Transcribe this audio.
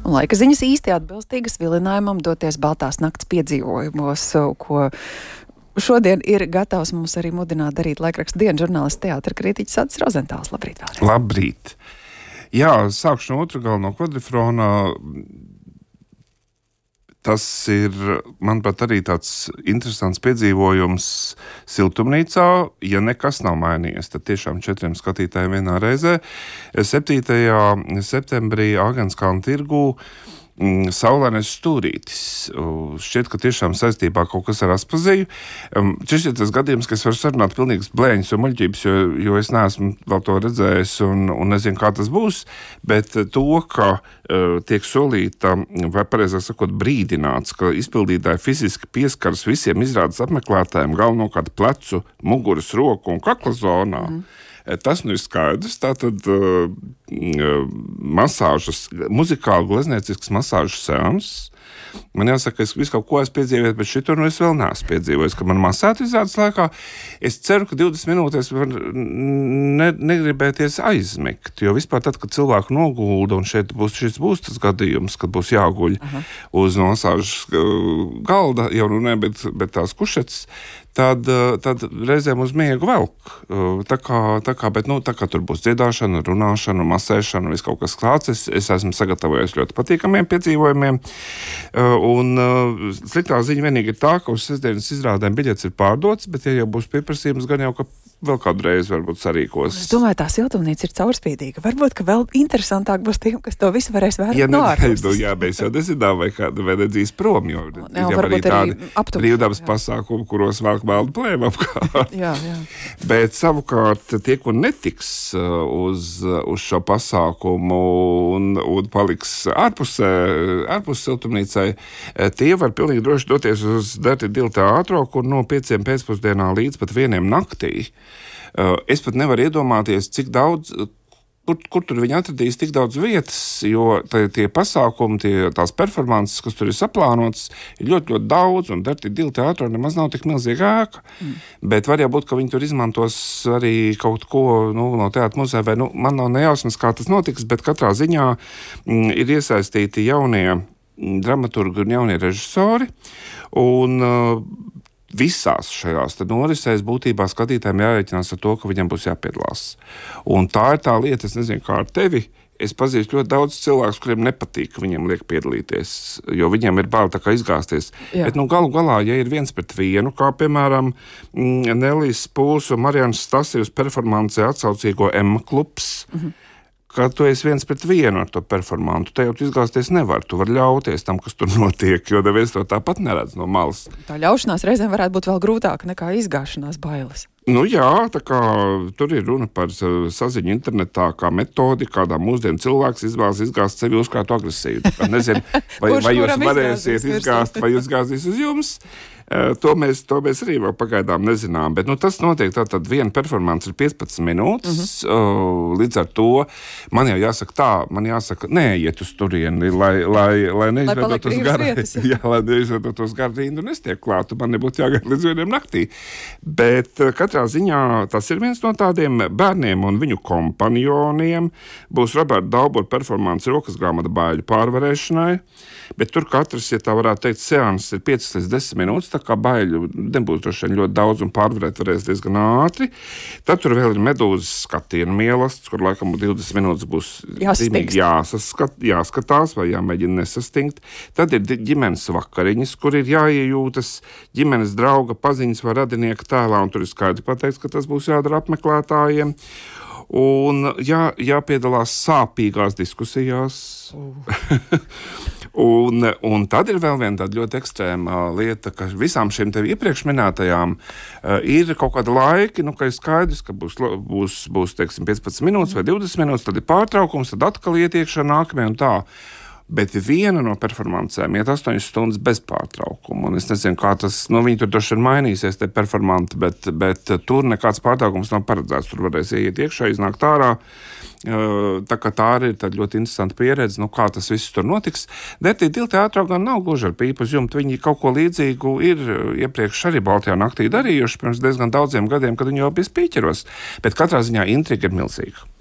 Un laika ziņas īsti atbilstīgas vilinājumam doties Baltās nakts piedzīvojumos, ko šodien ir gatavs mums arī mudināt darīt laikraksta dienu žurnālists teātra kritiķis Atis Rozentāls. Labrīt vēlreiz. Labrīt. Jā, sākšu no otra gala no kvadrifrona. Tas ir, manuprāt, arī tāds interesants piedzīvojums siltumnīcā. Ja nekas nav mainījies, tad tiešām 4 skatītājiem vienā reizē. 7. septembrī Āgenskalna tirgū saulainais stūrītis. Šķiet, ka tiešām saistībā kaut kas ar Aspaziju. Šis ir tas gadījums, ka es varu sarunāt pilnīgas blēņas un muļķības, jo es neesmu vēl to redzējis un nezinu, kā tas būs, bet to, ka tiek solīta, vai pareizāk sakot, brīdināts, ka izpildītāji fiziski pieskaras visiem izrādes apmeklētājiem, galvenokārt plecu, muguras, roku un kakla zonā. Tas nu ir skaidrs, tātad masāžas, muzikāli glezniecisks masāžas seans. Man jāsaka, es visu kaut ko esmu piedzīvojis, bet šito nu es vēl neesmu piedzīvojis, ka man masētu izrādes laikā. Es ceru, ka 20 minūtēs var negribēties aizmigt, jo vispār tad, kad cilvēku nogulda, un šeit būs tas gadījums, kad būs jāguļ uz masāžas galda, jau nu ne, bet tās kušetes, tad reizēm uz miegu velk. Tā kā tur būs dziedāšana, runāšana, masēšana, viss kaut kas klāts. Es esmu sagatavojies ļoti patīkamiem piedzīvojumiem. Un sliktā ziņa vienīgi ir tā, ka uz sestdienas izrādēm biļetes ir pārdots, bet ja jau būs pieprasījums, gan jau, ka vēl kādu reizi varbūt sarīkos. Es domāju, tā siltumnīca ir caurspīdīga. Varbūt, ka vēl interesantāk būs tiem, kas to visu varēs vērot no ārpuses. Jā, mēs jau nezinām, vai kāda vededzīs prom, jo ir arī tādi brīvdabas pasākumi, kuros velk meldu plēmu apkārt. Jā. Bet savukārt tie, kur netiks uz šo pasākumu un paliks ārpus siltumnīcai, tie var pilnīgi droši doties uz Dirty Dill teātro, kur no 5 pēcpusdienā līdz pat 1 naktī. Es pat nevaru iedomāties, cik daudz, kur tur viņi atradīs tik daudz vietas, jo tie pasākumi, tās performances, kas tur ir saplānotas, ir ļoti, ļoti daudz, un Dirty Dill teātrā nemaz nav tik milzīga ēka. Bet var jau būt, ka viņi tur izmantos arī kaut ko no teātra muzeja, vai man nav nejausmas, kā tas notiks, bet katrā ziņā ir iesaistīti jaunie dramaturgi un jaunie režisori, un visās šajās norisēs būtībā skatītājiem jārēķinās ar to, ka viņam būs jāpiedalās. Un tā ir tā lieta, es nezinu, kā ar tevi. Es pazīstu ļoti daudz cilvēkus, kuriem nepatīk, ka viņiem liek piedalīties, jo viņiem ir bail tā kā izgāzties. Jā. Bet galu galā, ja ir 1-1, kā piemēram Nelijas Pūls un Marianas Stasijus performancē atsaucīgo M klubs, ka tu esi 1-1 ar to performantu, te jau tu izgāzties nevar, tu vari ļauties tam, kas tur notiek, jo neviens to tāpat neredz no malas. Tā ļaušanās reizēm varētu būt vēl grūtāka nekā izgāšanās bailes. Nu jā, tā kā tur ir runa par saziņu internetā kā metodi, kādā mūsdienu cilvēks izgāzt sevi uzkrātu agresīvu. Nezinu, vai jūs varēsiet izgāzt, vai izgāzīs uz jums. To mēs arī vēl pagaidām nezinām, bet tas notiek tātad viena performance ir 15 minūtes, līdz ar to man jau jāsaka neiet uz turieni, lai neizvedotos gar rindu un es tiek klātu, man nebūtu jāgaida līdz 1 naktī. Bet katrā ziņā tas ir viens no tādiem bērniem un viņu kompanioniem, būs Roberta Daubura performance rokas grāmata baiļu pārvarēšanai, bet tur katrs, ja tā varētu teikt, seanses ir 5 līdz 10 minūtes, tā kā baiļu nebūs droši vien ļoti daudz un pārvarēt varēs diezgan ātri. Tad tur vēl ir medūzas skatienu mielasts, kur laikam 20 minūtes būs jāskatās vai jāmēģina nesastingt. Tad ir ģimenes vakariņas, kur ir jāiejūtas ģimenes drauga paziņas vai radinieka tēlā, un tur ir skaidri pateikts, ka tas būs jādara apmeklētājiem. Un jāpiedalās sāpīgās diskusijās. Un tad ir vēl viena tāda ļoti ekstrēma lieta, ka visām šiem tev iepriekš minētajām ir kaut kāda laiki, ka ir skaidrs, ka būs teiksim, 15 minūtes vai 20 minūtes, tad ir pārtraukums, tad atkal ietiekšana nākamajā un tā. Bet viena no performancēm iet 8 stundas bez pārtraukuma. Un es nezinu, kā tas, viņi tur droši vien mainīsies, te performanti, bet tur nekāds pārtraukums nav paredzēts. Tur varēs iet iekšā, iznākt ārā. Tā kā tā arī ir tāda ļoti interesanta pieredze, kā tas viss tur notiks. Dirty Dill teātrā gan nav gluži ar pīpu uz jumta. Viņi kaut ko līdzīgu ir iepriekš arī Baltajā naktī darījuši pirms diezgan daudziem gadiem, kad viņi jau bija spīķeros. Bet katrā ziņā intriga ir milzīga.